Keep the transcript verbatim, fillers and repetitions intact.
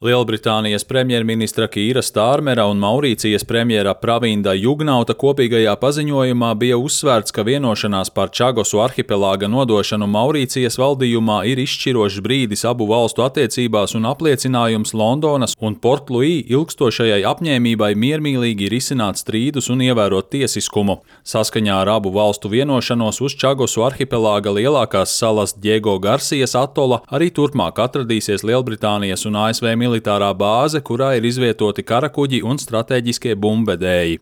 Lielbritānijas premjerministra Kīra Stārmera un Maurīcijas premjera Pravinda Jugnauta kopīgajā paziņojumā bija uzsvērts, ka vienošanās par Čagosu arhipelāga nodošanu Maurīcijas valdījumā ir izšķirošs brīdis abu valstu attiecībās un apliecinājums Londonas un Port-Luī ilgstošajai apņēmībai miermīlīgi risināt strīdus un ievērot tiesiskumu. Saskaņā ar abu valstu vienošanos uz Čagosu arhipelāga lielākās salas Diego Garcijas atola arī turpmāk atradīsies Lielbritānijas un A S V militārā bāze, kurā ir izvietoti karakuģi un stratēģiskie bumbvedēji.